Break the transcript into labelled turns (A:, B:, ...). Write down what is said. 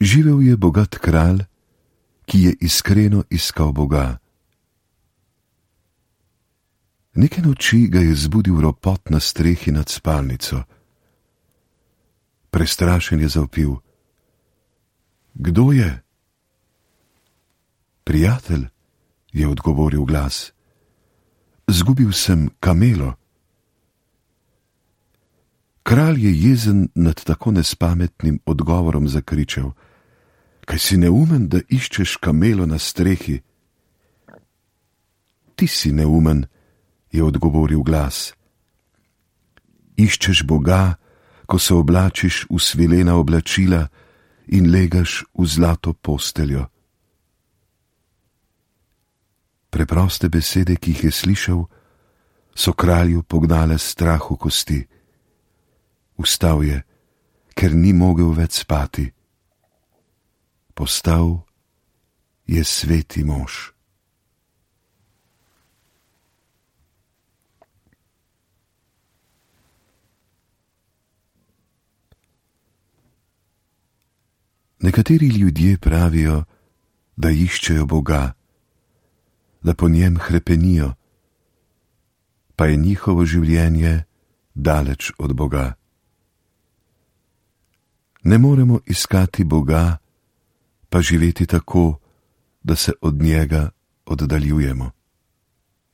A: Živel je bogat kralj, ki je iskreno iskal Boga. Neke noči ga je zbudil ropot na strehi nad spalnico. Prestrašen je zavpil: Kdo je? Prijatelj, je odgovoril glas. Zgubil sem kamelo. Kralj je jezen nad tako nespametnim odgovorom zakričal: Kaj si neumen, da iščeš kamelo na strehi? Ti si neumen, je odgovoril glas. Iščeš Boga, ko se oblačiš v svilena oblačila in legaš v zlato posteljo. Preproste besede, ki jih je slišal, so kralju pognale strah v kosti. Vstal je, ker ni mogel več spati. Postal je sveti mož. Nekateri ljudje pravijo, da iščejo Boga, da po njem hrepenijo, pa je njihovo življenje daleč od Boga. Ne moremo iskati Boga, pa živeti tako, da se od njega oddaljujemo.